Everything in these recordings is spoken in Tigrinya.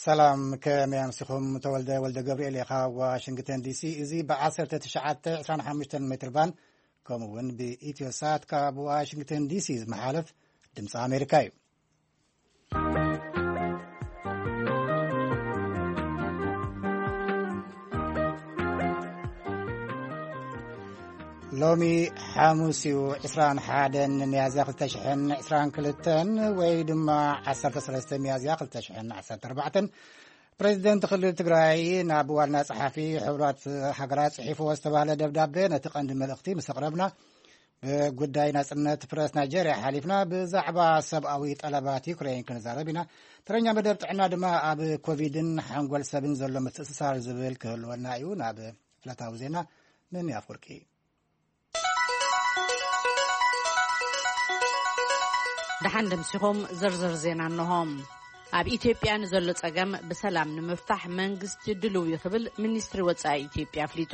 ሰላም፣ ከመይ ኣምሲኹም? ተወልደ ወልደ ገብርኤል እየ ካብ ዋሽንግተን ዲሲ። እዚ ብ1925 ሜትር ባንድ ከምኡ እውን ብኢትዮ ሳት ካብ ዋሽንግተን ዲሲ ዝመሓለፍ ድምፂ ኣሜሪካ እዩ። ሎሚ ሓሙስ እዩ፣ 21 ሚያዝያ 2022 ወይ ድማ 13 ሚያዝያ 2014። ፕሬዚደንት ክልል ትግራይ ናብ ዋና ጸሓፊ ሕቡራት ሃገራት ጽሒፍዎ ዝተባህለ ደብዳቤ ነቲ ቀንዲ መልእኽቲ ምስ ኣቕረብና፣ ብጉዳይ ናጽነት ፕረስ ናይጀርያ ሓሊፍና ብዛዕባ ሰብኣዊ ጠለባት ዩክሬን ክንዛረብ ኢና። ተረኛ መደብ ጥዕና ድማ ኣብ ኮቪድን ሓንጎል ሰብን ዘሎ ምትእስሳር ዝብል ክህልወና እዩ። ናብ ዕለታዊ ዜና መን ኣፍወርቂ። ደሓን ደምሲኹም ዝርዝር ዜና እንሆ። ኣብ ኢትዮጵያ ንዘሎ ጸገም ብሰላም ንምፍታሕ መንግስቲ ድልው እዩ ክብል ሚኒስትሪ ወጻኢ ኢትዮጵያ ኣፍሊጡ።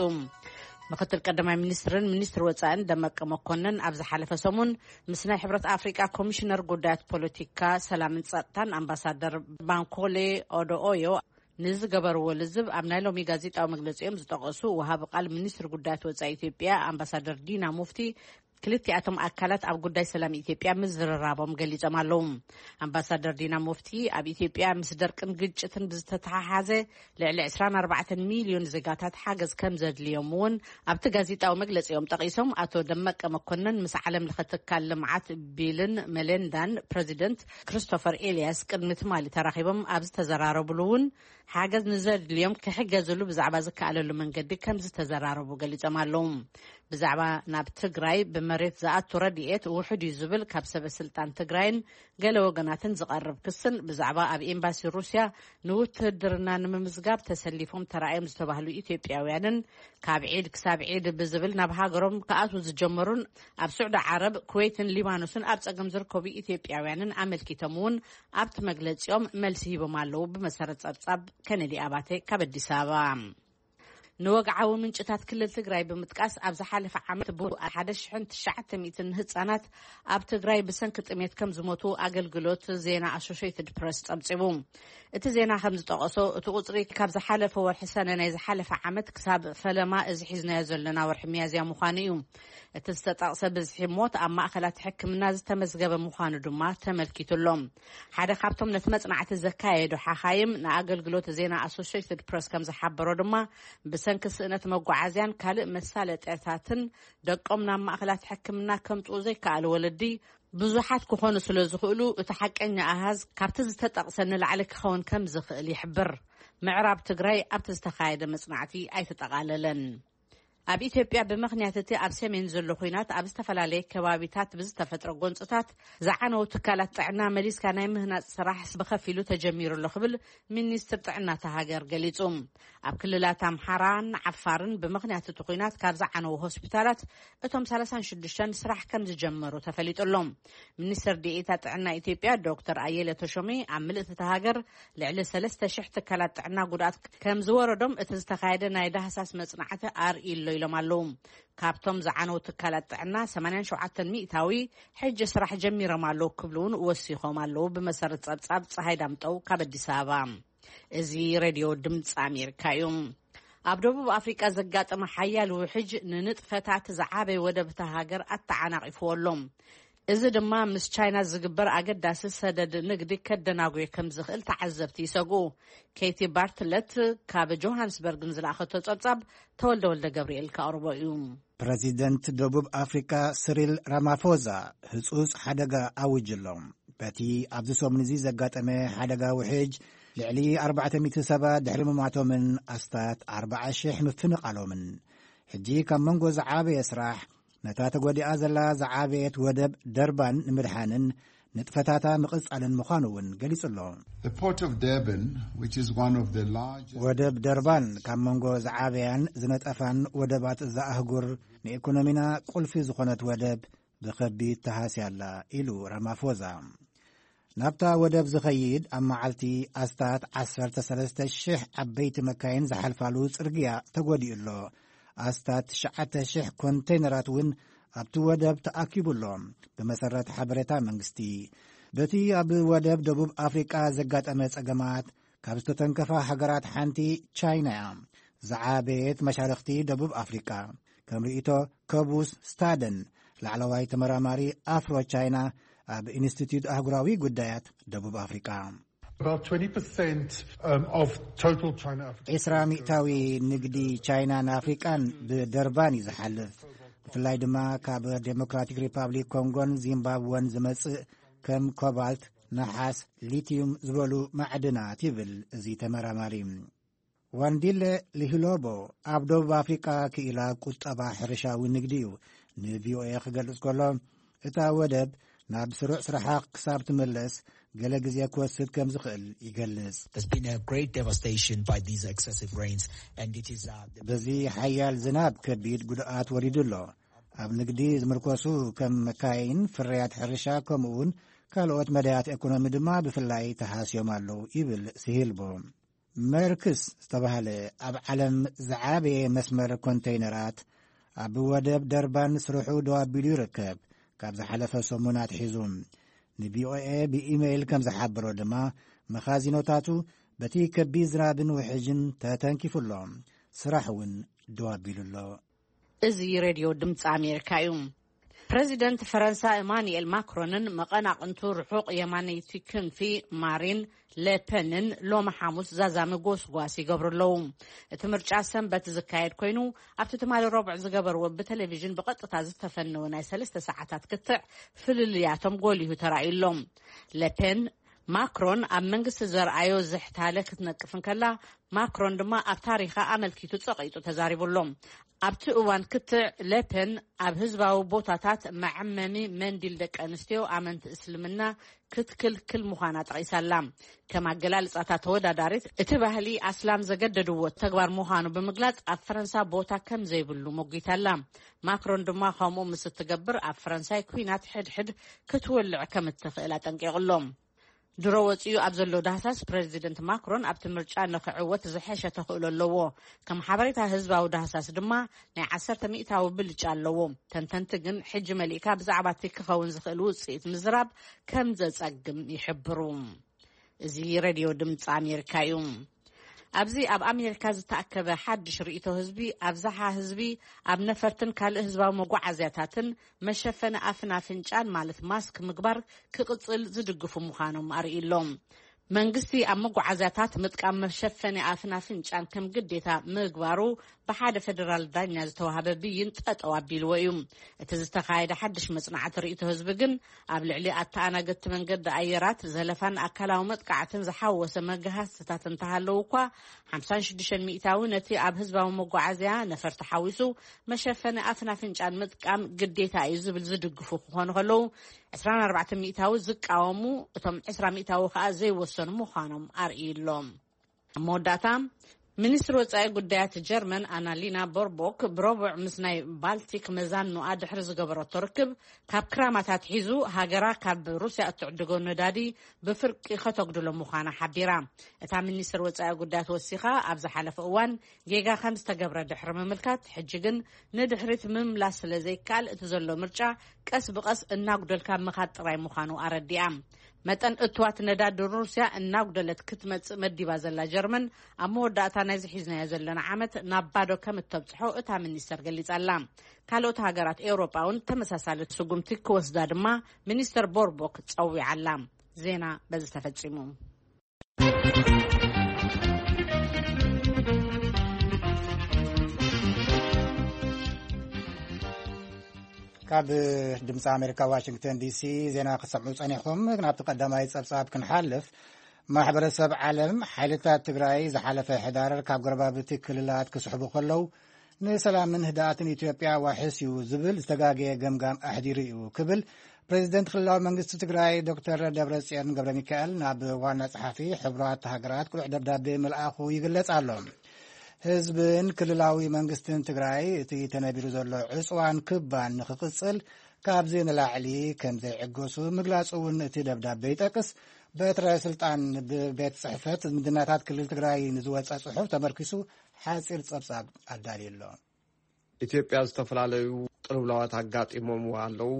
ምክትል ቀዳማይ ሚኒስትርን ሚኒስትሪ ወጻእን ደመቀ መኮንን ኣብ ዝሓለፈ ሰሙን ምስ ናይ ሕብረት ኣፍሪቃ ኮሚሽነር ጉዳያት ፖለቲካ፣ ሰላምን ጸጥታን ኣምባሳደር ባንኮሌ ኦዶኦዮ ንዝገበርዎ ልዝብ ኣብ ናይ ሎሚ ጋዜጣዊ መግለጺኦም ዝጠቐሱ ወሃቢ ቃል ሚኒስትሪ ጉዳያት ወጻኢ ኢትዮጵያ ኣምባሳደር ዲና ሙፍቲ፣ ክልቲኣቶም ኣካላት ኣብ ጉዳይ ሰላም ኢትዮጵያ ምዝርራቦም ገሊጾም ኣለዉ። ኣምባሳደር ዲና ሙፍቲ፣ ኣብ ኢትዮጵያ ምስ ደርቅን ግጭትን ብዝተተሓሓዘ ልዕሊ 24 ሚልዮን ዜጋታት ሓገዝ ከም ዘድልዮም እውን ኣብቲ ጋዜጣዊ መግለጺኦም ጠቒሶም፣ ኣቶ ደመቀ መኮንን ምስ ዓለም ለኸ ትካል ልምዓት ቢልን መሌንዳን ፕረዚደንት ክሪስቶፈር ኤልያስ ቅድሚ ትማሊ ተራኺቦም ኣብ ዝተዘራረብሉ እውን፣ ሓገዝ ንዘድልዮም ክሕገዝሉ ብዛዕባ ዝከኣለሉ መንገዲ ከም ዝተዘራረቡ ገሊጾም ኣለዉ። ብዛዕባ ናብ ትግራይ ብመሬት ዝኣቱ ረድኤት ውሑድ እዩ ዝብል ካብ ሰበ ስልጣን ትግራይን ገለ ወገናትን ዝቐርብ ክስን፣ ብዛዕባ ኣብ ኤምባሲ ሩስያ ንውትህድርና ንምምዝጋብ ተሰሊፎም ተራእዮም ዝተባህሉ ኢትዮጵያውያንን፣ ካብ ዒድ ክሳብ ዒድ ብዝብል ናብ ሃገሮም ክኣትዉ ዝጀመሩን፣ ኣብ ስዑዲ ዓረብ፣ ኩዌትን ሊባኖስን ኣብ ጸገም ዝርከቡ ኢትዮጵያውያንን ኣመልኪቶም እውን ኣብቲ መግለጺኦም መልሲ ሂቦም ኣለዉ። ብመሰረት ጸብጻብ ከነዲ ኣባተ ካብ ኣዲስ ኣበባ። ንወግዓዊ ምንጭታት ክልል ትግራይ ብምጥቃስ፣ ኣብ ዝሓለፈ ዓመት ብ1,900 ህጻናት ኣብ ትግራይ ብሰንኪ ጥሜት ከም ዝሞቱ ኣገልግሎት ዜና ኣሶሼትድ ፕረስ ጸብጺቡ። እቲ ዜና ከም ዝጠቐሶ፣ እቲ ቁጽሪ ካብ ዝሓለፈ ወርሒ ሰነ ናይ ዝሓለፈ ዓመት ክሳብ ፈለማ እዚ ሒዝናዮ ዘለና ወርሒ ሚያዝያ ምዃኑ እዩ። እቲ ዝተጠቕሰ ብዝሒ ሞት ኣብ ማእኸላት ሕክምና ዝተመዝገበ ምዃኑ ድማ ተመልኪቱ ኣሎ። ሓደ ካብቶም ነቲ መጽናዕቲ ዘካየዱ ሓኻይም ንኣገልግሎት ዜና ኣሶሼትድ ፕረስ ከም ዝሓበሮ ድማ፣ ብሰንኪ ስእነት መጓዓዝያን ካልእ መሳለጥያታትን ደቆም ናብ ማእኸላት ሕክምና ከምጽኡ ዘይከኣሉ ወለዲ ብዙሓት ክኾኑ ስለ ዝኽእሉ፣ እቲ ሓቀኛ ኣሃዝ ካብቲ ዝተጠቕሰ ንላዕሊ ክኸውን ከም ዝኽእል ይሕብር። ምዕራብ ትግራይ ኣብቲ ዝተኻየደ መጽናዕቲ ኣይተጠቓለለን። ኣብ ኢትዮጵያ፣ ብምኽንያት እቲ ኣብ ሰሜን ዘሎ ኲናት ኣብ ዝተፈላለየ ከባቢታት ብዝተፈጥረ ጎንፅታት ዝዓነው ትካላት ጥዕና መሊስካ ናይ ምህናፅ ስራሕ ብኸፊሉ ተጀሚሩ ኣሎ ክብል ሚኒስትር ጥዕና እታ ሃገር ገሊጹ። ኣብ ክልላት ኣምሓራን ዓፋርን ብምኽንያት እቲ ኲናት ካብ ዝዓነው ሆስፒታላት እቶም 36 ስራሕ ከም ዝጀመሩ ተፈሊጡ ኣሎ። ሚኒስትር ዲኤታ ጥዕና ኢትዮጵያ ዶክተር ኣየለ ተሾሚ፣ ኣብ ምልእቲ እታ ሃገር ልዕሊ 3,000 ትካላት ጥዕና ጉድኣት ከም ዝወረዶም እቲ ዝተኻየደ ናይ ዳህሳስ መጽናዕቲ ኣርእዩ ኣሎ ኢሎም ኣለዉ። ካብቶም ዝዓነው ትካላት ጥዕና 87% ሕጂ ስራሕ ጀሚሮም ኣለዉ ክብሉ እውን ወሲኾም ኣለዉ። ብመሰረት ጸብጻብ ፀሃይ ዳምጠው ካብ ኣዲስ ኣበባ። እዚ ሬድዮ ድምፂ ኣሜሪካ እዩ። ኣብ ደቡብ ኣፍሪቃ ዘጋጠመ ሓያል ውሕጅ ንንጥፈታት ዝዓበየ ወደብ እታ ሃገር ኣተዓናቒፍዎ ኣሎ። እዚ ድማ ምስ ቻይና ዝግበር ኣገዳሲ ሰደድ ንግዲ ከደናጉየ ከም ዝኽእል ተዓዘብቲ ይሰግኡ። ኬቲ ባርትለት ካብ ጆሃንስበርግ ንዝለኣኸቶ ጸብጻብ ተወልደ ወልደ ገብርኤል ከቕርቦ እዩ። ፕረዚደንት ደቡብ ኣፍሪቃ ስሪል ራማፎዛ ህጹጽ ሓደጋ ኣውጅ ኣሎ። በቲ ኣብዚ ሰሙን እዚ ዘጋጠመ ሓደጋ ውሕጅ ልዕሊ 400 ሰባት ድሕሪ ምማቶምን ኣስታት 40,000 ምፍንቓሎምን፣ ሕጂ ካብ መንጎ ዝዓበየ ስራሕ ነታ ተጎዲኣ ዘላ ዝዓበየት ወደብ ደርባን ንምድሓንን ንጥፈታታ ምቕጻልን ምዃኑ እውን ገሊጹ ኣሎ። The Port of Durban, which is one of the largest ወደብ ደርባን ካብ መንጎ ዝዓበያን ዝነጠፋን ወደባት እዛ ኣህጉር፣ ንኢኮኖሚና ቁልፊ ዝኾነት ወደብ ብኸቢድ ተሃስያ ኣላ ኢሉ ራማፎዛ። ናብታ ወደብ ዝኸይድ ኣብ መዓልቲ ኣስታት 13,000 ዓበይቲ መካይን ዝሓልፋሉ ጽርግያ ተጎዲኡ ኣሎ። ኣስታት 9,000 ኮንቴይነራት እውን ኣብቲ ወደብ ተኣኪቡ ኣሎ። ብመሰረት ሓበሬታ መንግስቲ፣ በቲ ኣብ ወደብ ደቡብ ኣፍሪቃ ዘጋጠመ ጸገማት ካብ ዝተተንከፋ ሃገራት ሓንቲ ቻይና እያ። ዝዓበየት መሻርኽቲ ደቡብ ኣፍሪቃ። ከም ርእይቶ ከቡስ ስታደን፣ ላዕለዋይ ተመራማሪ ኣፍሮ ቻይና ኣብ ኢንስቲትዩት ኣህጉራዊ ጉዳያት ደቡብ ኣፍሪቃ። About twenty percent um, of total China Africa. ዒስራ ሚእታዊ ንግዲ ቻይናን ኣፍሪቃን ብደርባን እዩ ዝሓልፍ። ብፍላይ ድማ ካብ ዴሞክራቲክ ሪፓብሊክ ኮንጎን ዚምባብወን ዝመጽእ ከም ኮባልት፣ ነሓስ፣ ሊቲዩም ዝበሉ ማዕድናት ይብል እዚ ተመራማሪ። ዋንዲለ ሊሂሎቦ ኣብ ደቡብ ኣፍሪቃ ክኢላ ቁጠባ ሕርሻዊ ንግዲ እዩ ንቪኦኤ ክገልጽ ከሎ፣ እታ ወደብ ናብ ስሩዕ ስራሓ ክሳብ ትምለስ ገለ ግዜ ክወስድ ከም ዝኽእል ይገልጽ። There's been a great devastation by these excessive rains, and it is uh, the በዚ ሓያል ዝናብ ከቢድ ጉድኣት ወሪዱ ኣሎ። ኣብ ንግዲ ዝምርኮሱ ከም መካይን፣ ፍርያት ሕርሻ፣ ከምኡውን ካልኦት መዳያት ኤኮኖሚ ድማ ብፍላይ ተሃስዮም ኣለዉ ይብል ሲሂልቦ። መርክስ ዝተባህለ ኣብ ዓለም ዝዓበየ መስመር ኮንተይነራት ኣብ ወደብ ደርባን ስርሑ ደው ኣቢሉ ይርከብ። ካብ ዝሓለፈ ሰሙን ኣትሒዙ ንቪኦኤ ብኢሜይል ከም ዝሓበሮ ድማ፣ መኻዚኖታቱ በቲ ከቢድ ዝናብን ውሕጅን ተተንኪፉ ኣሎ። ስራሕ እውን ደው ኣቢሉ ኣሎ። እዚ ሬድዮ ድምፂ ኣሜሪካ እዩ። ፕረዚደንት ፈረንሳ ኤማኑኤል ማክሮንን መቐናቕንቱ ርሑቕ የማነይቲ ክንፊ ማሪን ሌፐንን ሎሚ ሓሙስ ዛዛሚ ጎስጓስ ይገብሩ ኣለዉ። እቲ ምርጫ ሰንበት ዝካየድ ኮይኑ፣ ኣብቲ ትማሊ ረቡዕ ዝገበርዎ ብቴሌቪዥን ብቐጥታ ዝተፈነወ ናይ ሰለስተ ሰዓታት ክትዕ ፍልልያቶም ጎሊሁ ተራእዩ ኣሎ። ሌፐን ማክሮን ኣብ መንግስቲ ዘርኣዮ ዝሕታለ ክትነቅፍ እንከላ፣ ማክሮን ድማ ኣብ ታሪኻ ኣመልኪቱ ጸቒጡ ተዛሪቡ ኣሎ። ኣብቲ እዋን ክትዕ ሌፐን ኣብ ህዝባዊ ቦታታት መዐመሚ መንዲል ደቂ ኣንስትዮ ኣመንቲ እስልምና ክትክልክል ምዃና ጠቒሳ ኣላ። ከም ኣገላልጻታ ተወዳዳሪት፣ እቲ ባህሊ ኣስላም ዘገደድዎ ተግባር ምዃኑ ብምግላጽ ኣብ ፈረንሳ ቦታ ከም ዘይብሉ ሞጒታ ኣላ። ማክሮን ድማ ከምኡ ምስ እትገብር ኣብ ፈረንሳይ ኲናት ሕድሕድ ክትወልዕ ከም እትኽእል ኣጠንቂቑ ኣሎ። ድሮ ወጺኡ ኣብ ዘሎ ዳህሳስ ፕረዚደንት ማክሮን ኣብቲ ምርጫ ንኽዕወት ዝሐሸ ተኽእሎ ኣለዎ። ከም ሓበሬታ ህዝባዊ ዳህሳስ ድማ ናይ ዓሰርተ ሚእታዊ ብልጫ ኣለዎ። ተንተንቲ ግን ሕጂ መሊእካ ብዛዕባ እቲ ክኸውን ዝኽእል ውጽኢት ምዝራብ ከም ዘጸግም ይሕብሩ። እዚ ሬድዮ ድምፂ ኣሜሪካ እዩ። ኣብዚ ኣብ ኣሜሪካ ዝተኣከበ ሓድሽ ርእይቶ ህዝቢ፣ ኣብዝሓ ህዝቢ ኣብ ነፈርትን ካልእ ህዝባዊ መጓዓዝያታትን መሸፈኒ ኣፍን ኣፍንጫን ማለት ማስክ ምግባር ክቕፅል ዝድግፉ ምዃኖም ኣርእዩ ኣሎ። መንግስቲ ኣብ መጓዓዝያታት ምጥቃም መሸፈኒ ኣፍን ኣፍንጫን ከም ግዴታ ምግባሩ ብሓደ ፌደራል ዳኛ ዝተዋህበ ብይን ጠጠው ኣቢልዎ እዩ። እቲ ዝተኻየደ ሓድሽ መጽናዕቲ ርእይቶ ህዝቢ ግን ኣብ ልዕሊ ኣተኣናገድቲ መንገዲ ኣየራት ዘለፋን ኣካላዊ መጥቃዕትን ዝሓወሰ መገሃስትታት እንተሃለዉ እኳ፣ ሓምሳን ሽዱሽተን ሚእታዊ ነቲ ኣብ ህዝባዊ መጓዓዝያ ነፈርቲ ሓዊሱ መሸፈኒ ኣፍን ኣፍንጫን ምጥቃም ግዴታ እዩ ዝብል ዝድግፉ ክኾኑ ከለዉ፣ ዕስራን ኣርባዕተን ሚእታዊ ዝቃወሙ፣ እቶም ዕስራ ሚእታዊ ከኣ ዘይወሰኑ ምዃኖም ኣርእዩ ኣሎ። ኣብ መወዳእታ፣ ሚኒስትሪ ወጻኢ ጉዳያት ጀርመን ኣናሊና ቦርቦክ ብረቡዕ ምስ ናይ ባልቲክ መዛኑኣ ድሕሪ ዝገበረቶ ርክብ፣ ካብ ክራማት ኣትሒዙ ሃገራ ካብ ሩስያ እትዕድጎ ነዳዲ ብፍርቂ ከተጉድሎ ምዃና ሓቢራ። እታ ሚኒስትር ወጻኢ ጉዳያት ወሲኻ፣ ኣብ ዝሓለፈ እዋን ጌጋ ከም ዝተገብረ ድሕሪ ምምልካት፣ ሕጂ ግን ንድሕሪት ምምላስ ስለ ዘይከኣል፣ እቲ ዘሎ ምርጫ ቀስ ብቐስ እናጉደልካ ምኻድ ጥራይ ምዃኑ ኣረዲኣ። መጠን እትዋት ነዳዲ ሩስያ እናጉደለት ክትመጽእ መዲባ ዘላ ጀርመን፣ ኣብ መወዳእታ ናይዚ ሒዝናዮ ዘለና ዓመት ናብ ባዶ ከም እተብጽሖ እታ ሚኒስተር ገሊጻ ኣላ። ካልኦት ሃገራት ኤውሮጳ እውን ተመሳሳሊ ስጉምቲ ክወስዳ ድማ ሚኒስተር ቦርቦክ ጸዊዓ ኣላ። ዜና በዚ ተፈጺሙ። ካብ ድምፂ ኣሜሪካ ዋሽንግተን ዲሲ ዜና ክሰምዑ ጸኒሕኩም። ናብቲ ቀዳማይ ጸብጻብ ክንሓልፍ፣ ማሕበረሰብ ዓለም ሓይልታት ትግራይ ዝሓለፈ ሕዳር ካብ ጎረባብቲ ክልላት ክስሕቡ ከለዉ ንሰላምን ህድኣትን ኢትዮጵያ ዋሕስ እዩ ዝብል ዝተጋገየ ገምጋም ኣሕዲሩ እዩ ክብል ፕሬዚደንት ክልላዊ መንግስቲ ትግራይ ዶክተር ደብረጽዮን ገብረ ሚካኤል ናብ ዋና ጸሓፊ ሕቡራት ሃገራት ቅሉዕ ደብዳቤ ምልኣኹ ይግለጽ ኣሎ። ህዝብን ክልላዊ መንግስትን ትግራይ እቲ ተነቢሩ ዘሎ ዕጽዋን ክባን ንኽቕጽል ካብዚ ንላዕሊ ከም ዘይዕገሱ ምግላጹ እውን እቲ ደብዳቤ ይጠቅስ። በትረ ስልጣን ብቤት ጽሕፈት ዝምድናታት ክልል ትግራይ ንዝወጸ ጽሑፍ ተመርኪሱ ሓጺር ጸብጻብ ኣዳልዩ ኣሎ። ኢትዮጵያ ዝተፈላለዩ ቅልውላዋት ኣጋጢሞምዋ ኣለዉ።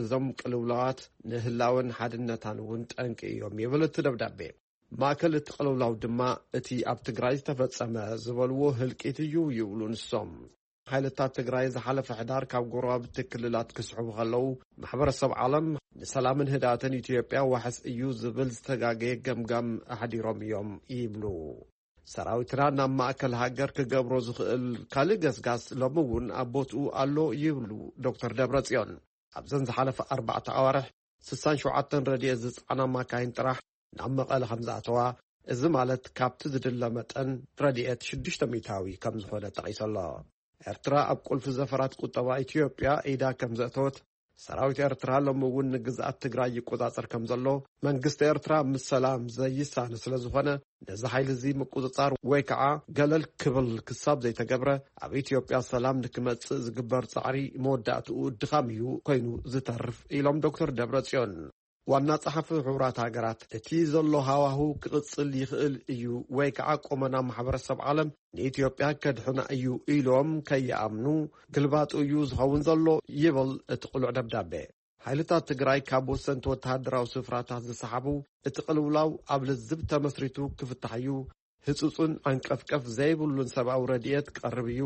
እዞም ቅልውላዋት ንህላወን ሓድነታን እውን ጠንቂ እዮም ይብል እቲ ደብዳቤ። ማእከል እቲ ቅልውላው ድማ እቲ ኣብ ትግራይ ዝተፈጸመ ዝበልዎ ህልቂት እዩ ይብሉ ንሶም። ሓይልታት ትግራይ ዝሓለፈ ሕዳር ካብ ጎረባብቲ ክልላት ክስሕቡ ከለዉ፣ ማሕበረሰብ ዓለም ንሰላምን ህድኣትን ኢትዮጵያ ዋሕስ እዩ ዝብል ዝተጋገየ ገምጋም ኣሕዲሮም እዮም ይብሉ። ሰራዊትና ናብ ማእከል ሃገር ክገብሮ ዝኽእል ካልእ ገስጋስ ሎሚ እውን ኣብ ቦትኡ ኣሎ ይብሉ ዶክተር ደብረጽዮን። ኣብዘን ዝሓለፈ ኣርባዕተ ኣዋርሕ ስሳን ሸውዓተን ረድኤት ዝጸዓና ማካይን ጥራሕ ናብ መቐለ ከም ዝኣተዋ፣ እዚ ማለት ካብቲ ዝድለ መጠን ረድኤት ሽዱሽተ ሚእታዊ ከም ዝኾነ ጠቒሱ ኣሎ። ኤርትራ ኣብ ቁልፊ ዘፈራት ቁጠባ ኢትዮጵያ ኢዳ ከም ዘእተወት፣ ሰራዊት ኤርትራ ሎሚ እውን ንግዝኣት ትግራይ ይቆጻጸር ከም ዘሎ፣ መንግስቲ ኤርትራ ምስ ሰላም ዘይሳነ ስለ ዝኾነ፣ ነዚ ሓይሊ እዚ ምቁጽጻር ወይ ከዓ ገለል ክብል ክሳብ ዘይተገብረ፣ ኣብ ኢትዮጵያ ሰላም ንክመጽእ ዝግበር ጻዕሪ መወዳእትኡ ድኻም እዩ ኮይኑ ዝተርፍ ኢሎም ዶክተር ደብረጽዮን። ዋና ጸሓፊ ሕቡራት ሃገራት፣ እቲ ዘሎ ሃዋሁ ክቕጽል ይኽእል እዩ ወይ ከዓ ቁመና ማሕበረሰብ ዓለም ንኢትዮጵያ ከድሕና እዩ ኢሎም ከይኣምኑ ግልባጡ እዩ ዝኸውን ዘሎ ይብል እቲ ቅሉዕ ደብዳቤ። ሓይልታት ትግራይ ካብ ወሰንቲ ወተሃደራዊ ስፍራታት ዝሰሓቡ፣ እቲ ቅልውላው ኣብ ልዝብ ተመስሪቱ ክፍታሕ እዩ፣ ህጹጽን ዓንቀፍቀፍ ዘይብሉን ሰብኣዊ ረድኤት ክቐርብ እዩ፣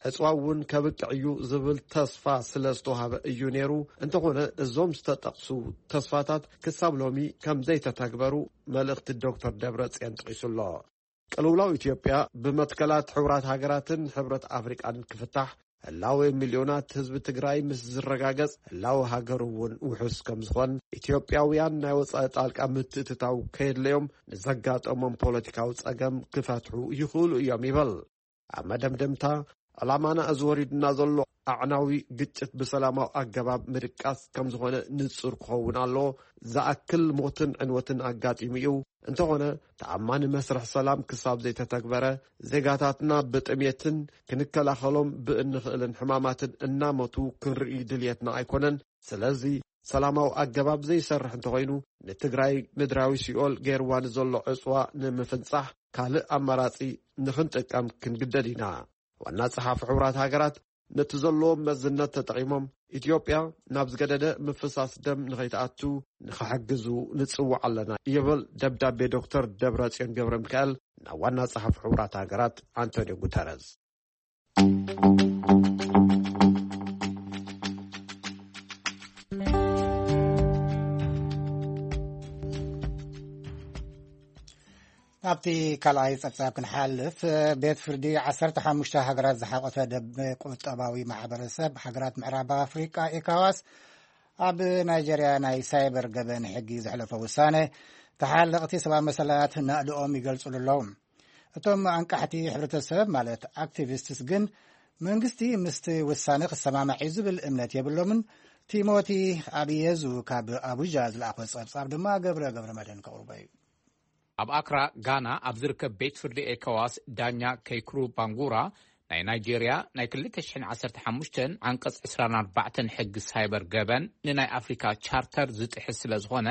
ዕጽዋ እውን ከብቅዕ እዩ ዝብል ተስፋ ስለ ዝተዋህበ እዩ ነይሩ። እንተኾነ እዞም ዝተጠቕሱ ተስፋታት ክሳብ ሎሚ ከም ዘይተተግበሩ መልእኽቲ ዶክተር ደብረጽዮን ጠቒሱ ኣሎ። ቅልውላው ኢትዮጵያ ብመትከላት ሕቡራት ሃገራትን ሕብረት ኣፍሪቃን ክፍታሕ፣ ህላወ ሚልዮናት ህዝቢ ትግራይ ምስ ዝረጋገጽ፣ ህላወ ሃገር እውን ውሑስ ከም ዝኾን፣ ኢትዮጵያውያን ናይ ወጻኢ ጣልቃ ምትእትታው ከየድለዮም ንዘጋጠሞም ፖለቲካዊ ጸገም ክፈትሑ ይኽእሉ እዮም ይበል። ኣብ መደምደምታ፣ ዕላማና እዚ ወሪዱና ዘሎ ኣዕናዊ ግጭት ብሰላማዊ ኣገባብ ምድቃስ ከም ዝኾነ ንጹር ክኸውን ኣለዎ። ዝኣክል ሞትን ዕንወትን ኣጋጢሙ እዩ። እንተኾነ፣ ተኣማኒ መስርሕ ሰላም ክሳብ ዘይተተግበረ፣ ዜጋታትና ብጥሜትን ክንከላኸሎም ብእንኽእልን ሕማማትን እናሞቱ ክንርኢ ድልየትና ኣይኮነን። ስለዚ፣ ሰላማዊ ኣገባብ ዘይሰርሕ እንተኾይኑ፣ ንትግራይ ምድራዊ ሲኦል ገይርዋ ንዘሎ ዕጽዋ ንምፍንጻሕ ካልእ ኣማራጺ ንኽንጥቀም ክንግደድ ኢና። ዋና ጸሓፊ ሕቡራት ሃገራት ነቲ ዘለዎም መዝነት ተጠቒሞም፣ ኢትዮጵያ ናብ ዝገደደ ምፍሳስ ደም ንኸይትኣቱ ንኽሕግዙ ንጽውዕ ኣለና ይብል ደብዳቤ ዶክተር ደብረጽዮን ገብረ ሚካኤል ናብ ዋና ጸሓፊ ሕቡራት ሃገራት ኣንቶኒዮ ጉተረዝ። ኣብቲ ካልኣይ ጸብጻብ ክንሓልፍ፣ ቤት ፍርዲ ዓሰርተ ሓሙሽተ ሃገራት ዝሓቆፈ ደብ ቁጠባዊ ማሕበረሰብ ሃገራት ምዕራብ ኣፍሪቃ፣ ኤካዋስ፣ ኣብ ናይጀርያ ናይ ሳይበር ገበን ሕጊ ዘሕለፎ ውሳነ፣ ተሓለቕቲ ሰብኣዊ መሰላት ናእድኦም ይገልጹሉ ኣለዉ። እቶም ኣንቃሕቲ ሕብረተሰብ፣ ማለት ኣክቲቪስትስ፣ ግን መንግስቲ ምስቲ ውሳነ ክሰማማዕ እዩ ዝብል እምነት የብሎምን። ቲሞቲ ኣብየዙ ካብ ኣቡጃ ዝለኣኾ ጸብጻብ ድማ ገብረ ገብረ መድህን ከቕርቦ እዩ። ኣብ ኣክራ ጋና ኣብ ዝርከብ ቤት ፍርዲ ኤኮዋስ፣ ዳኛ ከይክሩ ባንጉራ፣ ናይ ናይጄርያ ናይ ክልተ ሽሕን ዓሰርተ ሓሙሽተን ዓንቀጽ ዕስራን ኣርባዕተን ሕጊ ሳይበር ገበን ንናይ ኣፍሪካ ቻርተር ዝጥሕስ ስለ ዝኾነ፣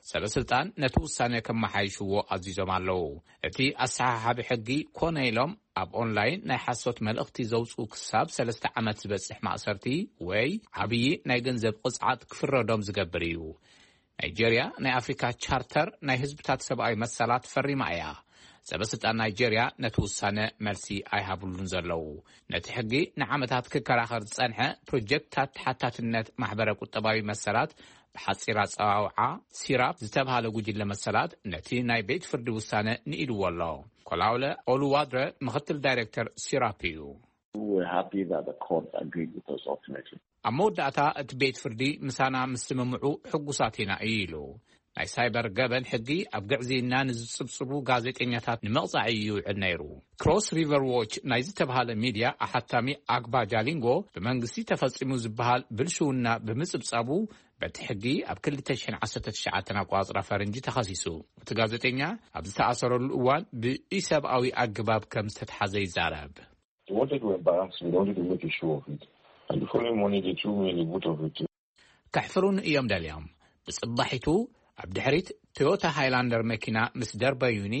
ሰበ ስልጣን ነቲ ውሳነ ከመሓይሽዎ ኣዚዞም ኣለዉ። እቲ ኣሰሓሓቢ ሕጊ ኮነ ኢሎም ኣብ ኦንላይን ናይ ሓሶት መልእኽቲ ዘውጽኡ ክሳብ ሰለስተ ዓመት ዝበጽሕ ማእሰርቲ ወይ ዓብዪ ናይ ገንዘብ ቅጽዓት ክፍረዶም ዝገብር እዩ። ናይጀርያ ናይ ኣፍሪካ ቻርተር ናይ ህዝብታት ሰብኣዊ መሰላት ፈሪማ እያ። ሰበ ስልጣን ናይጀርያ ነቲ ውሳነ መልሲ ኣይሃብሉን ዘለዉ። ነቲ ሕጊ ንዓመታት ክከራኸር ዝጸንሐ ፕሮጀክትታት ተሓታትነት ማሕበረ ቁጠባዊ መሰላት፣ ብሓጺር ኣጸዋውዓ ሲራፕ ዝተብሃለ ጉጅለ መሰላት፣ ነቲ ናይ ቤት ፍርዲ ውሳነ ንኢድዎ ኣሎ። ኮላውለ ኦሉዋድረ ምኽትል ዳይሬክተር ሲራፕ እዩ። We were happy that the court agreed with us ultimately. ኣብ መወዳእታ እቲ ቤት ፍርዲ ምሳና ምስ ስምምዑ ሕጉሳት ኢና እዩ ኢሉ። ናይ ሳይበር ገበን ሕጊ ኣብ ግዕዝይና ንዝጽብጽቡ ጋዜጠኛታት ንምቕጻዕ እዩ ይውዕል ነይሩ። ክሮስ ሪቨር ዎች ናይ ዝተብሃለ ሚድያ ኣሓታሚ ኣግባ ጃሊንጎ ብመንግስቲ ተፈጺሙ ዝበሃል ብልሽውና ብምጽብጻቡ በቲ ሕጊ ኣብ ክልተ ሽሕን ዓሰርተ ትሽዓተን ኣቆጻጽራ ፈረንጂ ተኸሲሱ። እቲ ጋዜጠኛ ኣብ ዝተኣሰረሉ እዋን ብኢሰብኣዊ ኣገባብ ከም ዝተትሓዘ ይዛረብ። They wanted to embarrass me, they wanted to make a show of it. And the following morning, they threw me in the boot of a train. ከሕፍሩኒ እዮም ደልዮም። ብጽባሒቱ ኣብ ድሕሪት ቶዮታ ሃይላንደር መኪና ምስ ደርበዩኒ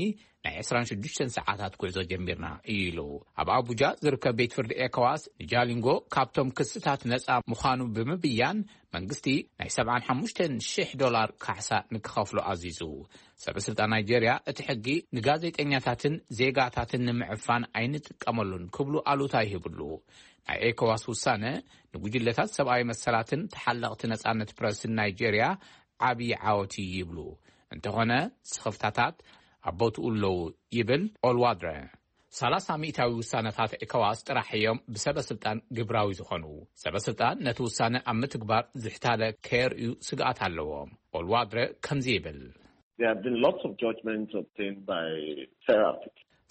ናይ ዕስራን ሽዱሽተን ሰዓታት ጉዕዞ ጀሚርና ኢሉ። ኣብ ኣቡጃ ዝርከብ ቤት ፍርዲ ኤኮዋስ ንጃሊንጎ ካብቶም ክስታት ነጻ ምዃኑ ብምብያን መንግስቲ ናይ ሰብዓን ሓሙሽተን ሽሕ ዶላር ካሕሳ ንክኸፍሎ ኣዚዙ። ሰበ ስልጣን ናይጄርያ እቲ ሕጊ ንጋዜጠኛታትን ዜጋታትን ንምዕፋን ኣይንጥቀመሉን ክብሉ ኣሉታ ይህብሉ። ናይ ኤኮዋስ ውሳነ ንጉጅለታት ሰብኣዊ መሰላትን ተሓለቕቲ ነጻነት ፕረስን ናይጄርያ ዓብዪ ዓወት እዩ ይብሉ። እንተኾነ ስኽፍታታት ኣብ ቦትኡ ኣለዉ ይብል ኦልዋድረ። ሰላሳ ሚእታዊ ውሳነታት ኤኮዋስ ጥራሕ እዮም ብሰበ ስልጣን ግብራዊ ዝኾኑ። ሰበ ስልጣን ነቲ ውሳነ ኣብ ምትግባር ዝሕታለ ከየርእዩ ስግኣት ኣለዎም። ኦልዋድረ ከምዚ ይብል። There have been lots of judgments obtained by Serap.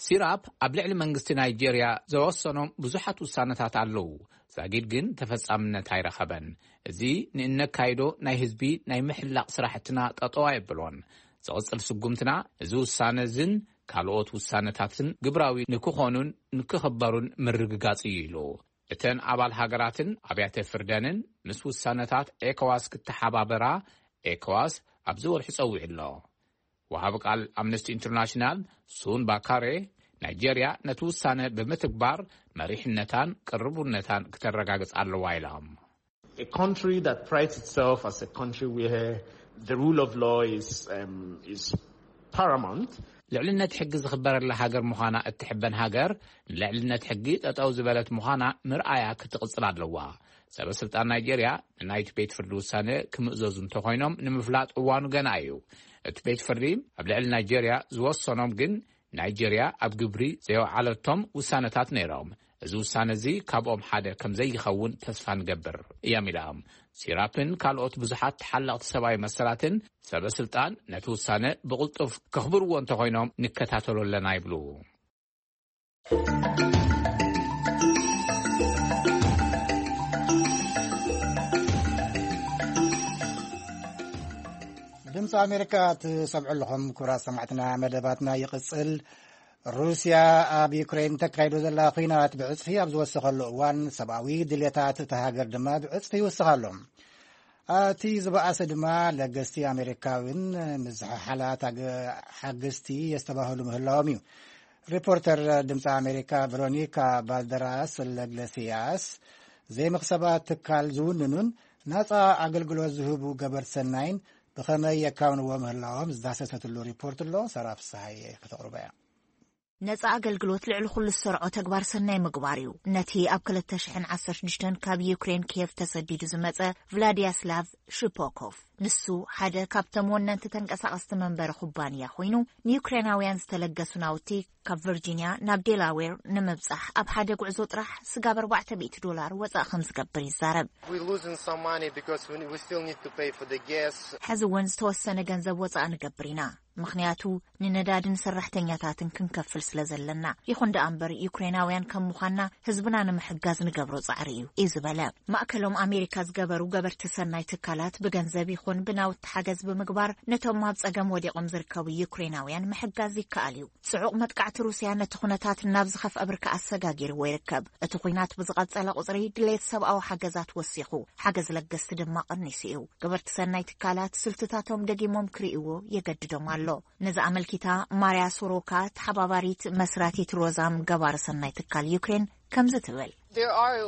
ሲራፕ ኣብ ልዕሊ መንግስቲ ናይጄርያ ዘወሰኖም ብዙሓት ውሳነታት ኣለዉ። ዛጊድ ግን ተፈጻምነት ኣይረኸበን። እዚ ንእነካይዶ ናይ ህዝቢ ናይ ምሕላቕ ስራሕትና ጠጠው ኣየብሎን። ዝቕጽል ስጉምትና እዚ ውሳነ እዝን ካልኦት ውሳነታትን ግብራዊ ንክኾኑን ንክኽበሩን ምርግጋጽ እዩ ኢሉ። እተን ኣባል ሃገራትን ኣብያተ ፍርደንን ምስ ውሳነታት ኤኮዋስ ክተሓባበራ ኤኮዋስ ኣብዚ ወርሒ ጸዊዑ ኣሎ። ወሃቢ ቃል ኣምነስቲ ኢንተርናሽናል ሱን ባካሬ፣ ናይጄርያ ነቲ ውሳነ ብምትግባር መሪሕነታን ቅርቡነታን ክተረጋግጽ ኣለዋ ኢሎም። A country that prides itself as a country where the rule of law is, um, is paramount. ልዕልነት ሕጊ ዝኽበረላ ሃገር ምዃና እትሕበን ሃገር፣ ንልዕልነት ሕጊ ጠጠው ዝበለት ምዃና ምርኣያ ክትቕጽል ኣለዋ። ሰበ ስልጣን ናይጄርያ ንናይቲ ቤት ፍርዲ ውሳነ ክምእዘዙ እንተኾይኖም ንምፍላጥ እዋኑ ገና እዩ። እቲ ቤት ፍርዲ ኣብ ልዕሊ ናይጄርያ ዝወሰኖም ግን ናይጄርያ ኣብ ግብሪ ዘየውዓለቶም ውሳነታት ነይሮም። እዚ ውሳነ እዚ ካብኦም ሓደ ከም ዘይኸውን ተስፋ ንገብር እዮም ኢሎም። ሲራፕን ካልኦት ብዙሓት ተሓለቕቲ ሰብኣዊ መሰላትን ሰበ ስልጣን ነቲ ውሳነ ብቕልጡፍ ከኽብርዎ እንተኾይኖም ንከታተሎ ኣለና ይብሉ። ድምፂ ኣሜሪካ ትሰምዑ ኣለኹም። ክቡራት ሰማዕትና፣ መደባትና ይቕጽል። ሩስያ ኣብ ዩክሬን ተካይዶ ዘላ ኲናት ብዕጽፊ ኣብ ዝወሰኸሉ እዋን፣ ሰብኣዊ ድልየታት እታ ሃገር ድማ ብዕጽፊ ይውስኽ ኣሎ። እቲ ዝበኣሰ ድማ ለገስቲ ኣሜሪካውን ምዝሕሓላት ኣገ-፣ ሓገዝቲ የስተባህሉ ምህላዎም እዩ። ሪፖርተር ድምፂ ኣሜሪካ ቨሮኒካ ባልደራስ ለግለሲያስ ዘይመኽሰባት ትካል ዝውንኑን ናፃ ኣገልግሎት ዝህቡ ገበርቲ ሰናይን ብኸመይ የካውንዎ ምህላዎም ዝዳሰሰትሉ ሪፖርት ኣሎ። ሰራ ፍስሃየ ከተቕርቦ እያ። ነጻ ኣገልግሎት ልዕሊ ኩሉ ዝሰርዖ ተግባር ሰናይ ምግባር እዩ። ነቲ ኣብ ክልተ ሽሕን ዓሰርተ ሽዱሽተን ካብ ዩክሬን ኪየቭ ተሰዲዱ ዝመጸ ቭላድያስላቭ ሽፖኮቭ፣ ንሱ ሓደ ካብቶም ወነንቲ ተንቀሳቐስቲ መንበሪ ኩባንያ ኮይኑ፣ ንዩክሬናውያን ዝተለገሱ ናውቲ ካብ ቨርጂንያ ናብ ዴላዌር ንምብጻሕ ኣብ ሓደ ጉዕዞ ጥራሕ ስጋብ ኣርባዕተ ሚእቲ ዶላር ወጻኢ ከም ዝገብር ይዛረብ። We losing some money because we, we still need to pay for the gas. ሕዚ እውን ዝተወሰነ ገንዘብ ወጻኢ ንገብር ኢና፣ ምኽንያቱ ንነዳድን ሰራሕተኛታትን ክንከፍል ስለ ዘለና። ይኹን ደኣ እምበር፣ ዩክሬናውያን ከም ምዃንና ህዝብና ንምሕጋዝ ንገብሮ ጻዕሪ እዩ፣ እዩ ዝበለ። ማእከሎም ኣሜሪካ ዝገበሩ ገበርቲ ሰናይ ትካላት ብገንዘብ ይኹን ብናውቲ ሓገዝ ብምግባር ነቶም ኣብ ጸገም ወዲቖም ዝርከቡ ዩክሬናውያን ምሕጋዝ ይከኣል እዩ። ጽዑቕ መጥቃዕቲ ሩስያ ነቲ ኩነታት ናብ ዝኸፍአ ብርኪ ኣሰጋጊርዎ ይርከብ። እቲ ኲናት ብዝቐጸለ ቁጽሪ ድሌት ሰብኣዊ ሓገዛት ወሲኹ፣ ሓገዝ ለገስቲ ድማ ቀኒሱ እዩ። ገበርቲ ሰናይ ትካላት ስልትታቶም ደጊሞም ክርእይዎ የገድዶም ኣሎ። ነዚ ኣመልኪታ ማርያ ሶሮካ፣ ተሓባባሪት መስራቲት ሮዛም ገባሪ ሰናይ ትካል ዩክሬን፣ ከምዚ ትብል። There are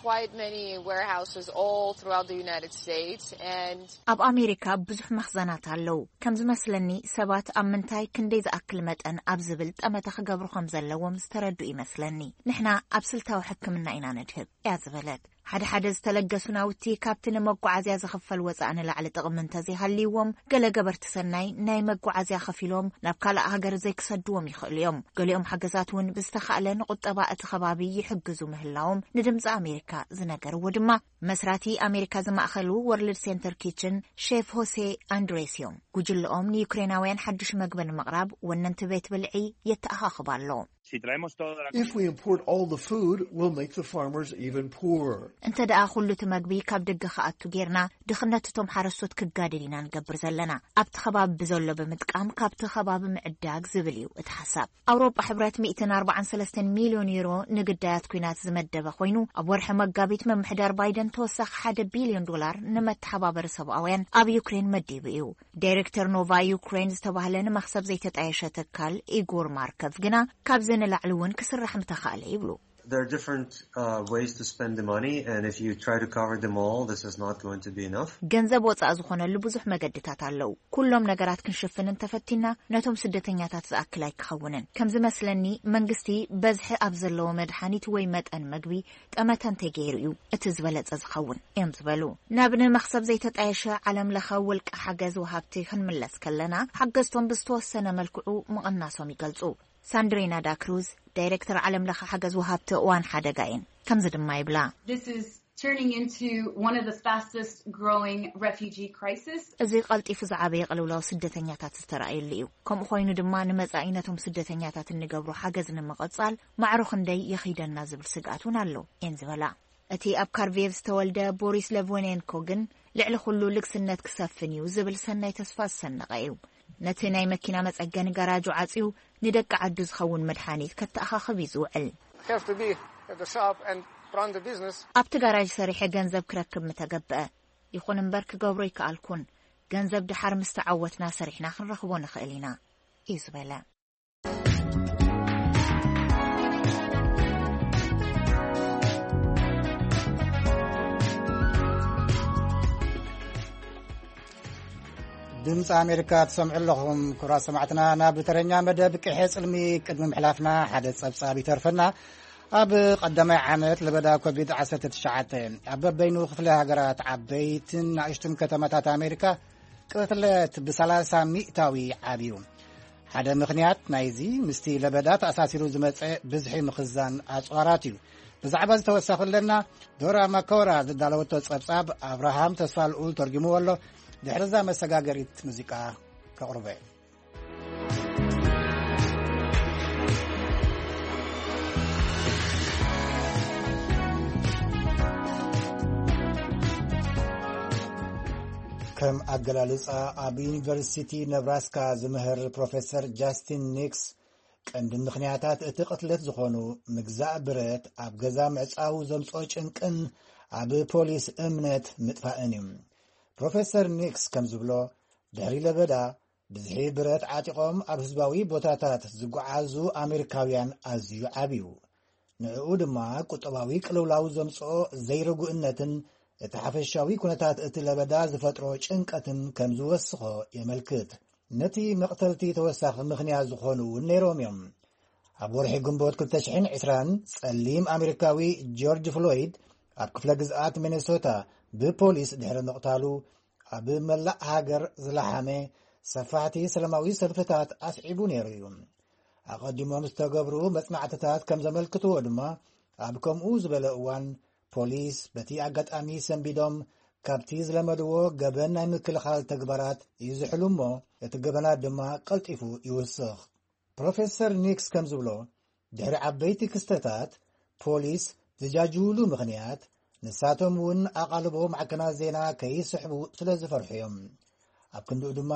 quite many warehouses all throughout the United States, and ኣብ ኣሜሪካ ብዙሕ መኽዘናት ኣለዉ። ከም ዝመስለኒ ሰባት ኣብ ምንታይ ክንደይ ዝኣክል መጠን ኣብ ዝብል ጠመተ ክገብሩ ከም ዘለዎም ዝተረዱ ይመስለኒ። ንሕና ኣብ ስልታዊ ሕክምና ኢና ነድህብ እያ ዝበለት። ሓደ ሓደ ዝተለገሱ ናውቲ ካብቲ ንመጓዓዝያ ዝኽፈል ወጻኢ ንላዕሊ ጥቕሚ እንተዘይሃልይዎም፣ ገለ ገበርቲ ሰናይ ናይ መጓዓዝያ ከፊሎም ናብ ካልእ ሃገር ዘይክሰድዎም ይኽእሉ እዮም። ገሊኦም ሓገዛት እውን ብዝተኻእለ ንቁጠባ እቲ ከባቢ ይሕግዙ ምህላዎም ንድምፂ ኣሜሪካ ዝነገርዎ ድማ መስራቲ ኣሜሪካ ዝማእኸሉ ወርልድ ሴንተር ኪችን ሼፍ ሆሴ ኣንድሬስ እዮም። ጉጅለኦም ንዩክሬናውያን ሓድሽ መግቢ ንምቕራብ ወነንቲ ቤት ብልዒ የተኣኻኽብ ኣሎ። Si traemos todo. If we import all the food, we'll make the farmers even poorer. እንተ ደኣ ኩሉ እቲ መግቢ ካብ ደገ ክኣቱ ጌርና፣ ድኽነት እቶም ሓረስቶት ክጋደል ኢና ንገብር ዘለና። ኣብቲ ከባቢ ብዘሎ ብምጥቃም ካብቲ ከባቢ ምዕዳግ ዝብል እዩ እቲ ሓሳብ። ኣውሮጳ ሕብረት ሚእትን ኣርባዓን ሰለስተን ሚልዮን ዩሮ ንግዳያት ኲናት ዝመደበ ኮይኑ፣ ኣብ ወርሒ መጋቢት ምምሕዳር ባይደን ተወሳኺ ሓደ ቢልዮን ዶላር ንመተሓባበሪ ሰብኣውያን ኣብ ዩክሬን መዲቡ እዩ። ዳይሬክተር ኖቫ ዩክሬን ዝተባህለ ንመኽሰብ ዘይተጣየሸ ትካል ኢጎር ማርከቭ ግና፣ ካብዚ ንላዕሊ እውን ክስራሕ ምተኻእለ ይብሉ። There are different uh, ways to spend the money, and if you try to cover them all, this is not going to be enough. ገንዘብ ወጻኢ ዝኾነሉ ብዙሕ መገድታት ኣለዉ። ኩሎም ነገራት ክንሽፍን እንተፈቲና፣ ነቶም ስደተኛታት ዝኣክል ኣይክኸውንን። ከም ዝመስለኒ፣ መንግስቲ በዝሒ ኣብ ዘለዎ መድሓኒት ወይ መጠን መግቢ ጠመተ እንተገይሩ እዩ እቲ ዝበለጸ ዝኸውን እዮም ዝበሉ። ናብ ንመኽሰብ ዘይተጣየሸ ዓለም ለኸ ውልቂ ሓገዝ ወሃብቲ ክንምለስ ከለና፣ ሓገዝቶም ብዝተወሰነ መልክዑ ምቕናሶም ይገልጹ። ሳንድሪና ዳክሩዝ፣ ዳይሬክተር ዓለም ለኸ ሓገዝ ወሃብቲ እዋን ሓደጋ እየን። ከምዚ ድማ ይብላ። This is turning into one of the fastest growing refugee crisis. እዚ ቀልጢፉ ዝዓበየ ቅልውላው ስደተኛታት ዝተረኣየሉ እዩ። ከምኡ ኮይኑ ድማ ንመጻኢ ነቶም ስደተኛታት እንገብሮ ሓገዝ ንምቕጻል ማዕሮ ክንደይ የኺደና ዝብል ስግኣት እውን ኣሎ እየን ዝበላ። እቲ ኣብ ካርቬቭ ዝተወልደ ቦሪስ ለቮኔንኮ ግን ልዕሊ ኩሉ ልግስነት ክሰፍን እዩ ዝብል ሰናይ ተስፋ ዝሰነቐ እዩ። ነቲ ናይ መኪና መጸገኒ ገራጁ ዓጽዩ ንደቂ ዓዱ ዝኸውን መድሓኒት ከተኣኻኽብ እዩ ዝውዕል። Have to be at the shop and run the business. ኣብቲ ጋራጅ ሰሪሐ ገንዘብ ክረክብ ምተገብአ። ይኹን እምበር ክገብሮ ይከኣልኩን። ገንዘብ ድሓር ምስ ተዓወትና ሰሪሕና ክንረኽቦ ንኽእል ኢና እዩ ዝበለ። ድምፂ ኣሜሪካ ትሰምዑ ኣለኹም። ክቡራት ሰማዕትና፣ ናብ ተረኛ መደብ ቅሐ ፅልሚ ቅድሚ ምሕላፍና ሓደ ፀብፃብ ይተርፈና። ኣብ ቀዳማይ ዓመት ለበዳ ኮቪድ ዓሰርተ ትሽዓተ ኣብ በበይኑ ክፍለ ሃገራት ዓበይትን ንእሽቱን ከተማታት ኣሜሪካ ቅትለት ብሰላሳ ሚእታዊ ዓብዩ። ሓደ ምኽንያት ናይዚ ምስቲ ለበዳ ተኣሳሲሩ ዝመጸ ብዝሒ ምኽዛን ኣጽዋራት እዩ። ብዛዕባ ዝተወሳኺ ኣለና። ዶራ ማኮራ ዝዳለወቶ ጸብጻብ ኣብርሃም ተስፋ ልኡል ተርጉምዎ ኣሎ። ድሕርዛ መሰጋገሪት ሙዚቃ ከቕርበ። ከም ኣገላልጻ ኣብ ዩኒቨርሲቲ ነብራስካ ዝምህር ፕሮፌሰር ጃስቲን ኒክስ፣ ቀንዲ ምኽንያታት እቲ ቅትለት ዝኾኑ ምግዛእ ብረት፣ ኣብ ገዛ ምዕጻው ዘምጽኦ ጭንቅን ኣብ ፖሊስ እምነት ምጥፋእን እዩ። ፕሮፌሰር ኒክስ ከም ዝብሎ፣ ድሕሪ ለበዳ ብዝሒ ብረት ዓጢቖም ኣብ ህዝባዊ ቦታታት ዝጓዓዙ ኣሜሪካውያን ኣዝዩ ዓብዩ። ንዕኡ ድማ ቁጠባዊ ቅልውላው ዘምጽኦ ዘይርጉእነትን እቲ ሓፈሻዊ ኩነታት እቲ ለበዳ ዝፈጥሮ ጭንቀትን ከም ዝወስኾ የመልክት። ነቲ መቕተልቲ ተወሳኺ ምኽንያት ዝኾኑ እውን ነይሮም እዮም። ኣብ ወርሒ ግንቦት ክልተ ሽሕን ዕስራን ጸሊም ኣሜሪካዊ ጆርጅ ፍሎይድ ኣብ ክፍለ ግዝኣት ሚኔሶታ ብፖሊስ ድሕሪ ምቕታሉ፣ ኣብ መላእ ሃገር ዝለሓመ ሰፋሕቲ ሰላማዊ ሰልፍታት ኣስዒቡ ነይሩ እዩ። ኣቐዲሞም ዝተገብሩ መጽናዕትታት ከም ዘመልክትዎ ድማ፣ ኣብ ከምኡ ዝበለ እዋን ፖሊስ በቲ ኣጋጣሚ ሰንቢዶም ካብቲ ዝለመድዎ ገበን ናይ ምክልኻል ተግባራት ይዝሕሉ እሞ፣ እቲ ገበናት ድማ ቀልጢፉ ይውስኽ። ፕሮፌሰር ኒክስ ከም ዝብሎ፣ ድሕሪ ዓበይቲ ክስተታት ፖሊስ ዝጃጅውሉ ምኽንያት፣ ንሳቶም እውን ኣቓልቦ ማዕከናት ዜና ከይስሕቡ ስለ ዝፈርሑ እዮም። ኣብ ክንድኡ ድማ፣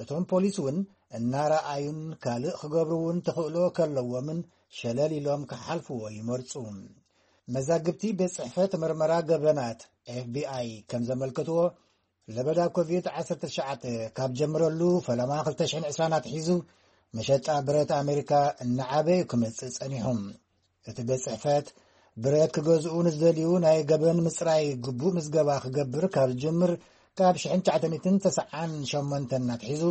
እቶም ፖሊስ እውን እናረኣዩን ካልእ ክገብሩ እውን ተኽእሎ ከለዎምን ሸለል ኢሎም ክሓልፍዎ ይመርጹ። መዛግብቲ ቤት ጽሕፈት መርመራ ገበናት፣ ኤፍ ቢ ኣይ፣ ከም ዘመልከትዎ፣ ለበዳ ኮቪድ ዓሰርተ ትሽዓተ ካብ ጀምረሉ ፈለማ ክልተ ሽሕን ዕስራን ኣትሒዙ፣ መሸጣ ብረት ኣሜሪካ እናዓበዩ ክመጽእ ጸኒሑ። እቲ ቤት ጽሕፈት፣ ብረት ክገዝኡ ንዝደልዩ ናይ ገበን ምጽራይ ግቡእ ምዝገባ ክገብር ካብ ዝጅምር ካብ ሽሕን ትሽዓተ ሚእትን ተስዓን ሸሞንተን ኣትሒዙ፣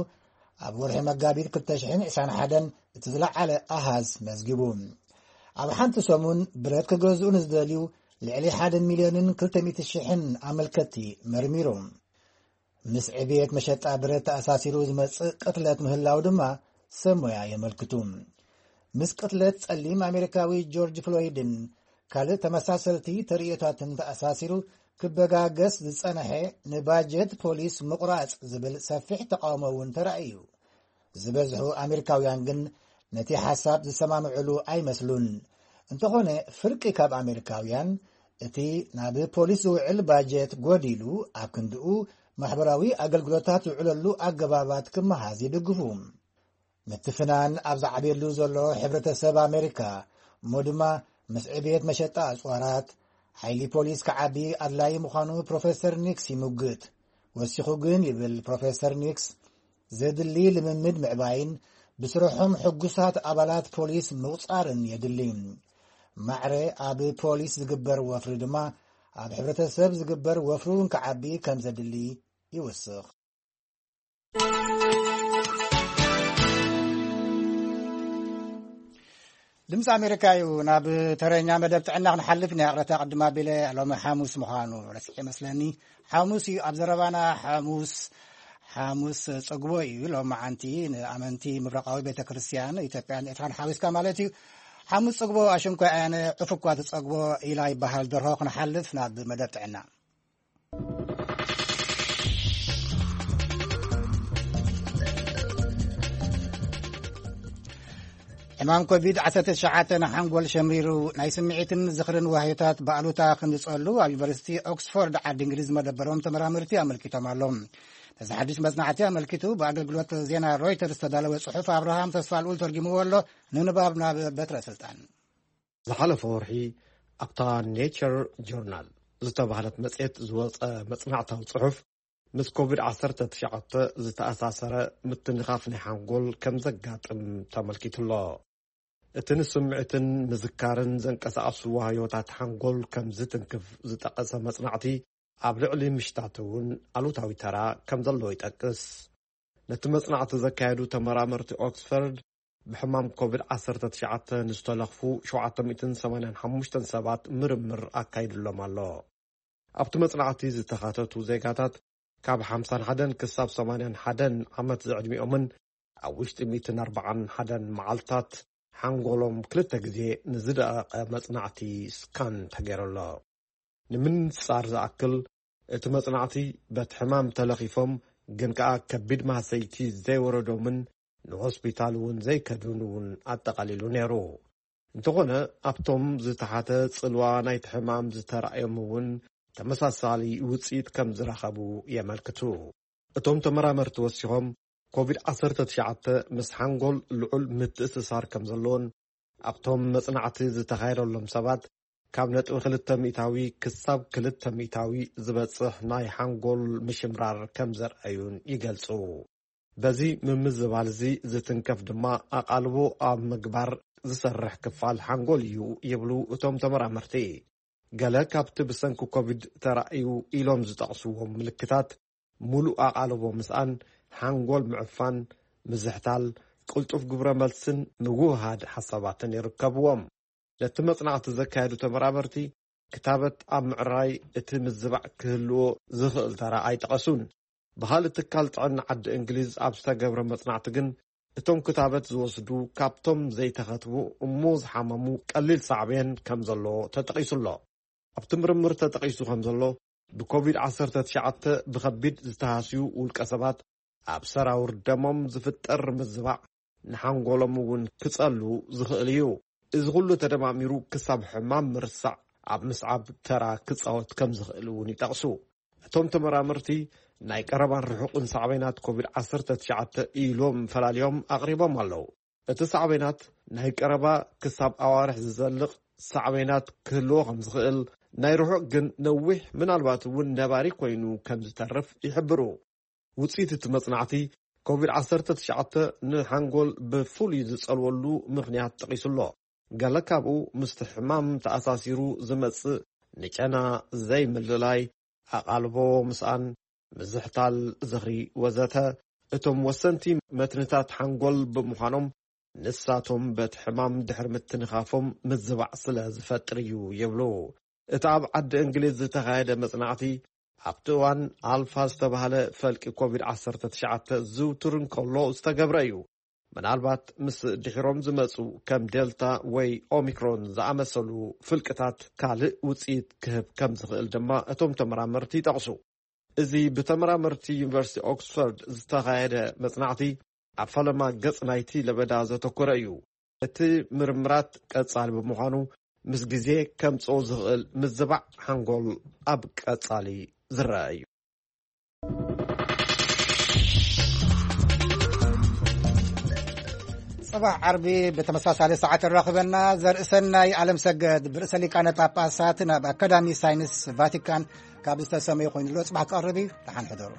ኣብ ወርሒ መጋቢት ክልተ ሽሕን ዕስራን ሓደን እቲ ዝለዓለ ኣሃዝ መዝጊቡ። ኣብ ሓንቲ ሰሙን ብረት ክገዝኡ ንዝደልዩ ልዕሊ ሓደ ሚልዮንን ክልተ ሚእቲ ሽሕን ኣመልከትቲ መርሚሩ። ምስ ዕብየት መሸጣ ብረት ተኣሳሲሩ ዝመጽእ ቅትለት ምህላው ድማ ሰብ ሞያ የመልክቱ። ምስ ቅትለት ጸሊም ኣሜሪካዊ ጆርጅ ፍሎይድን ካልእ ተመሳሰልቲ ተርእዮታትን ተኣሳሲሩ ክበጋገስ ዝጸንሐ ንባጀት ፖሊስ ምቑራጽ ዝብል ሰፊሕ ተቃውሞ እውን ተራእዩ። ዝበዝሑ ኣሜሪካውያን ግን ነቲ ሓሳብ ዝሰማምዕሉ ኣይመስሉን። እንተኾነ፣ ፍርቂ ካብ ኣሜሪካውያን እቲ ናብ ፖሊስ ዝውዕል ባጀት ጎዲሉ፣ ኣብ ክንድኡ ማሕበራዊ ኣገልግሎታት ዝውዕለሉ ኣገባባት ክመሃዝ ይድግፉ። ምትፍናን ኣብ ዝዓብየሉ ዘሎ ሕብረተሰብ ኣሜሪካ፣ እሞ ድማ ምስ ዕብየት መሸጣ ኣጽዋራት፣ ሓይሊ ፖሊስ ክዓቢ ኣድላዪ ምዃኑ ፕሮፌሰር ኒክስ ይምግት። ወሲኹ ግን፣ ይብል ፕሮፌሰር ኒክስ፣ ዘድሊ ልምምድ ምዕባይን ብስርሖም ሕጉሳት ኣባላት ፖሊስ ምቑጻርን የድሊ። ማዕረ ኣብ ፖሊስ ዝግበር ወፍሪ ድማ ኣብ ሕብረተሰብ ዝግበር ወፍሪ እውን ክዓቢ ከም ዘድሊ ይውስኽ። ድምፂ ኣሜሪካ እዩ። ናብ ተረኛ መደብ ጥዕና ክንሓልፍ ኢና። ቅረታ ቅድም ኣቢለ ሎሚ ሓሙስ ምዃኑ ረሲዐ መስለኒ። ሓሙስ እዩ ኣብ ዘረባና። ሓሙስ ሓሙስ ጽግቦ እዩ። ሎሚ መዓንቲ ንኣመንቲ ምብራቓዊ ቤተ ክርስቲያን ኢትዮጵያን ኤርትራን ሓዊስካ ማለት እዩ። ሓሙስ ጽግቦ ኣሽንኳ ኣነ ዕፉኳ ትጸግቦ ኢላ ይበሃል ደርሆ። ክንሓልፍ ናብ መደብ ጥዕና። ሕማም ኮቪድ ዓሰርተ ትሽዓተ ንሓንጎል ሸሚሩ ናይ ስምዒትን ዝኽርን ዋህዮታት ብኣሉታ ክንጸሉ ኣብ ዩኒቨርሲቲ ኦክስፎርድ ዓዲ እንግሊዝ መደበሮም ተመራመርቲ ኣመልኪቶም ኣለዉ። ነዚ ሓድሽ መጽናዕቲ ኣመልኪቱ ብኣገልግሎት ዜና ሮይተርስ ዝተዳለወ ጽሑፍ ኣብርሃም ተስፋ ልኡል ተርጊምዎ ኣሎ። ንንባብ ናብ በትረ ስልጣን። ዝሓለፈ ወርሒ ኣብታ ኔቸር ጆርናል ዝተባህለት መጽሔት ዝወጸ መጽናዕታዊ ጽሑፍ፣ ምስ ኮቪድ ዓሰርተ ትሽዓተ ዝተኣሳሰረ ምትንኻፍ ናይ ሓንጎል ከም ዘጋጥም ተመልኪቱ ኣሎ። እቲ ንስምዒትን ምዝካርን ዘንቀሳቐሱ ዋህዮታት ሓንጎል ከም ዝትንክፍ ዝጠቐሰ መጽናዕቲ፣ ኣብ ልዕሊ ምሽታት እውን ኣሉታዊ ተራ ከም ዘለዎ ይጠቅስ። ነቲ መጽናዕቲ ዘካየዱ ተመራመርቲ ኦክስፈርድ፣ ብሕማም ኮቪድ ዓሰርተ ትሽዓተ ንዝተለኽፉ ሸውዓተ ሚእትን ሰማንያን ሓሙሽተን ሰባት ምርምር ኣካይድሎም ኣሎ። ኣብቲ መጽናዕቲ ዝተኻተቱ ዜጋታት ካብ ሓምሳን ሓደን ክሳብ ሰማንያን ሓደን ዓመት ዝዕድሚኦምን ኣብ ውሽጢ ሚእትን ኣርባዓን ሓደን መዓልታት ሓንጎሎም ክልተ ግዜ ንዝደቐቐ መጽናዕቲ ስካን ተገይሩሎ። ንምንጻር ዝኣክል፣ እቲ መጽናዕቲ በቲ ሕማም ተለኺፎም ግን ከኣ ከቢድ ማህሰይቲ ዘይወረዶምን ንሆስፒታል እውን ዘይከዱን እውን ኣጠቓሊሉ ነይሩ። እንተኾነ፣ ኣብቶም ዝተሓተ ጽልዋ ናይቲ ሕማም ዝተራእዮም እውን ተመሳሳሊ ውጽኢት ከም ዝረኸቡ የመልክቱ። እቶም ተመራመርቲ ወሲኾም፣ ኮቪድ ዓሰርተ ትሽዓተ ምስ ሓንጎል ልዑል ምትእስሳር ከም ዘለዎን ኣብቶም መጽናዕቲ ዝተኻየደሎም ሰባት ካብ ነጥቢ ክልተ ሚእታዊ ክሳብ ክልተ ሚእታዊ ዝበጽሕ ናይ ሓንጎል ምሽምራር ከም ዘርኣዩን ይገልጹ። በዚ ምምዝባል እዚ ዝትንከፍ ድማ ኣቓልቦ ኣብ ምግባር ዝሰርሕ ክፋል ሓንጎል እዩ ይብሉ እቶም ተመራመርቲ። ገለ ካብቲ ብሰንኪ ኮቪድ ተራእዩ ኢሎም ዝጠቕስዎም ምልክታት፣ ምሉእ ኣቓልቦ ምስኣን፣ ሓንጎል ምዕፋን፣ ምዝሕታል፣ ቅልጡፍ ግብረ መልስን ምውህሃድ ሓሳባትን ይርከብዎም። ነቲ መጽናዕቲ ዘካየዱ ተመራመርቲ፣ ክታበት ኣብ ምዕራይ እቲ ምዝባዕ ክህልዎ ዝኽእል ተራ ኣይጠቐሱን። ብኻልእ ትካል ጥዕና ዓዲ እንግሊዝ ኣብ ዝተገብረ መጽናዕቲ ግን፣ እቶም ክታበት ዝወስዱ ካብቶም ዘይተኸትቡ እሞ ዝሓመሙ ቀሊል ሳዕቤን ከም ዘሎ ተጠቒሱ ኣሎ። ኣብቲ ምርምር ተጠቒሱ ከም ዘሎ፣ ብኮቪድ ዓሰርተ ትሽዓተ ብኸቢድ ዝተሃስዩ ውልቀ ሰባት፣ ኣብ ሰራውር ደሞም ዝፍጠር ምዝባዕ ንሓንጎሎም እውን ክጸሉ ዝኽእል እዩ። እዚ ኩሉ ተደማሚሩ ክሳብ ሕማም ምርሳዕ ኣብ ምስዓብ ተራ ክጻወት ከም ዝኽእል እውን ይጠቕሱ። እቶም ተመራመርቲ፣ ናይ ቀረባን ርሑቕን ሳዕቤናት ኮቪድ ዓሰርተ ትሽዓተ ኢሎም ፈላልዮም ኣቕሪቦም ኣለዉ። እቲ ሳዕቤናት ናይ ቀረባ ክሳብ ኣዋርሕ ዝዘልቕ ሳዕቤናት ክህልዎ ከም ዝኽእል፣ ናይ ርሑቕ ግን ነዊሕ፣ ምናልባት እውን ነባሪ ኮይኑ ከም ዝተርፍ ይሕብሩ። ውጽኢት እቲ መጽናዕቲ፣ ኮቪድ ዓሰርተ ትሽዓተ ንሓንጎል ብፍሉይ ዝጸልወሉ ምኽንያት ጠቒሱ ኣሎ። ገለ ካብኡ ምስቲ ሕማም ተኣሳሲሩ ዝመጽእ ንጨና ዘይምልላይ፣ ኣቓልቦ ምስኣን፣ ምዝሕታል ዝኽሪ ወዘተ፣ እቶም ወሰንቲ መትንታት ሓንጎል ብምዃኖም፣ ንሳቶም በቲ ሕማም ድሕሪ ምትንኻፎም ምዝባዕ ስለ ዝፈጥር እዩ ይብሉ። እቲ ኣብ ዓዲ እንግሊዝ ዝተኻየደ መጽናዕቲ፣ ኣብቲ እዋን ኣልፋ ዝተባህለ ፈልቂ ኮቪድ ዓሰርተ ትሽዓተ ዝውቱር እንከሎ ዝተገብረ እዩ። ምናልባት ምስ ድሒሮም ዝመጹ ከም ዴልታ ወይ ኦሚክሮን ዝኣመሰሉ ፍልቅታት ካልእ ውጽኢት ክህብ ከም ዝኽእል ድማ እቶም ተመራመርቲ ይጠቕሱ። እዚ ብተመራመርቲ ዩኒቨርሲቲ ኦክስፎርድ ዝተኻየደ መጽናዕቲ፣ ኣብ ፈለማ ገጽ ናይቲ ለበዳ ዘተኮረ እዩ። እቲ ምርምራት ቀጻሊ ብምዃኑ፣ ምስ ግዜ ከምጽኦ ዝኽእል ምዝባዕ ሓንጎል ኣብ ቀጻሊ ዝረኣ እዩ። ጽባሕ ዓርቢ ብተመሳሳሊ ሰዓት ይራኽበና። ዘርእሰናይ ዓለም ሰገድ ብርእሰ ሊቃነ ጳጳሳት ናብ ኣካዳሚ ሳይንስ ቫቲካን ካብ ዝተሰመዩ ኮይኑ ኣሎ። ጽባሕ ክቐርብ እዩ። ደሓን ሕደሩ።